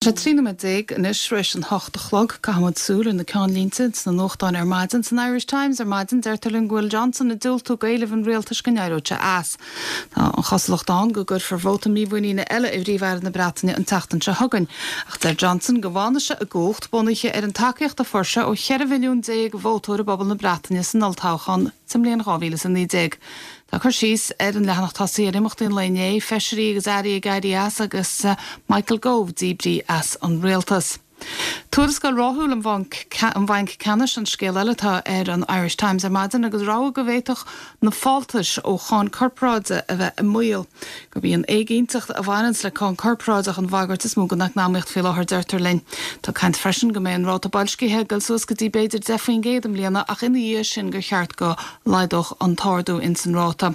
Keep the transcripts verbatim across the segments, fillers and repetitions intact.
Sé trí nóiméad déag anois tar éis an hocht a chlog caithfimid súil ar na ceannlínte sna nuachtáin ar maidin san Irish Times ar maidin deirtear linn go bhfuil Johnson ag diúltú d'éilimh an rialtais go n-éireodh sé as. Tá an chosúlacht ann go gcuirfear vóta mímhuiníne eile i bPríomh-Aire na Breataine an tseachtain seo chugainn. Ach deir Johnson go bhfanfaidh sé i gcumhacht bunaithe ar an tacaíocht a fuair sé ó cheithre mhilliún déag vótóir i bpobal na Breataine san olltoghchán sa mbliain dhá mhíle is a naoi déag. Tá cur síos ar an leathanach tosaigh ar imeachtaí an lae inné, feisirí agus airí ag éirí as agus Michael Gove díbrithe as an rialtas. Tuarascáil ráithiúil an Bhainc Ceannais an scéal eile atá ar an Irish Times ar maidin agus rabhadh go bhféadfadh na fáltais ó cháin corparáide a bheith i mbaol. Gurb í an éiginnteacht a bhaineanns le cáin corparáideach an bhagairt is mó don eacnamaíocht faoi láthair deirtear linn. Tá caint freisin go mbeidh an ráta boilscithe ag dul suas go dtí b'fhéidir deich faoin gcéad i mbliana ach ina dhiaidh sin gur cheart go laghdódh an t-ardú ins an ráta.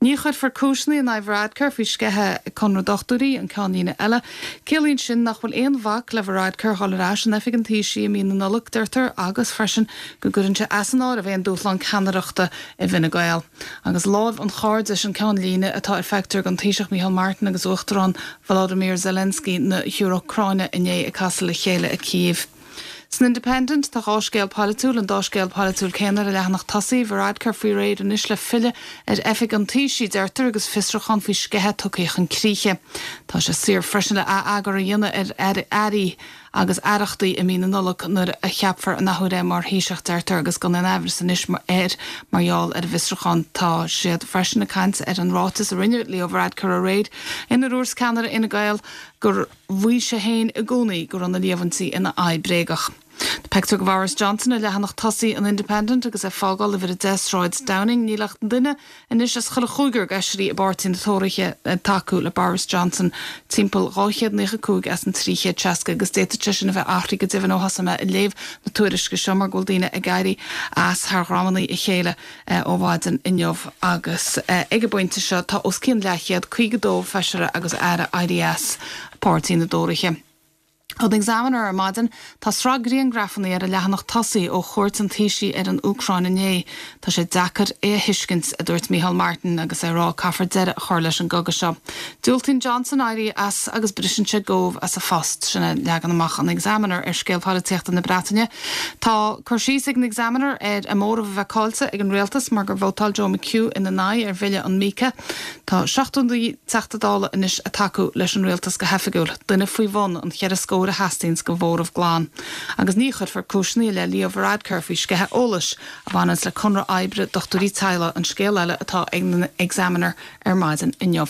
Ní chuirfear cúiseanna in aghaidh Varadkar faoi sceitheadh Conradh Dochtúirí an ceannlíne eile. Ciallaíonn sin nach bhfuil aon bhac le Varadkar dhul ar ais in oifig an Taoisigh i mí na Nollag, deirtear, agus freisin go gcuireann sé as an áireamh aon dúshlán ceannaireachta i bhFine Gael. Agus lámh an chairdis an ceannlíne atá ar phictiúr den Taoiseach Micheál Martin agus Uachtarán Volodymyr Zelensky na hÚcráine inné ag casadh le chéile i Kyiv. San Independent tá dhá scéal polaitiúil an dá scéal polaitiúil céanna ar an leathanach tosaigh Varadkar faoi réir anois le filleadh ar oifig an Taoisigh deirtear agus fiosrúchán faoi sceitheadh tugtha chun críche. Tá sé saor freisin le atheagar a dhéanamh ar airí agus aireachtaí i mí na Nollag nuair a cheapfar an athuair é mar Thaoiseach deirtear agus gan aon amhras anois air mar gheall ar an bhfiosrúchán tá siad freisin ag caint ar an ráiteas a rinne Leo Varadkar aréir ina dúirt ceannaire Fhine Gael gur mhaígh sé féin i gcónaí go raibh na líomhaintí ina aghaidh bréagach. Pictiúr de Boris Johnson ar leathanach tosaigh an Independent agus é ag fágáil uimhir a deich Sráid Downing níl ach duine anois as chuile chúigear d'fheisirí i bpáirtí na Tóraithe ag tacú le Boris Johnson timpeall dhá chéad naocha cúig as an trí chéad seasca agus d'fhéadfadh sé sin a bheith athraithe go deimhin ó thosaigh mé ag léamh na tuairisce seo mar go bhfuil daoine ag éirí as thar dhromanna a chéile ó mhaidin inniu agus ag an bpointe seo tá os cionn leathchéad caoga dó feisire agus aire éirithe as páirtí na dTóraithe. Ón Examiner ar maidin tá sraith grianghrafanna ar a leathanach tosaigh ó chuairt an Taoisigh ar an Úcráin inné. Tá sé deacair é a thuiscint a dúirt Micheál Martin agus é ag rá caithfear deireadh a chur leis an gcogadh seo. Diúltaíonn Johnson éirí as agus briseann sé Gove as a phost sin é leagan amach an Examiner ar scéal polaitíochta na Breataine. Tá cur síos ag an Examiner ar a móramh a bheith caillte ag an rialtas mar gur vótáil Joe McHugh ina n-aghaidh ar bhille an MiCA. Tá seachtó naoi Teachta Dála anois ag tacú leis an rialtas go hoifigiúil, duine faoi bhun an cheithre scór a theastaíonns do mhóramh glan. Agus ní chuirfear cúiseanna i leith Leo Varadkar faoi sceitheadh eolais a bhaineanns le conradh oibre dochtúirí teaghlaigh an scéal eile atá ag an Examiner ar maidin inniu.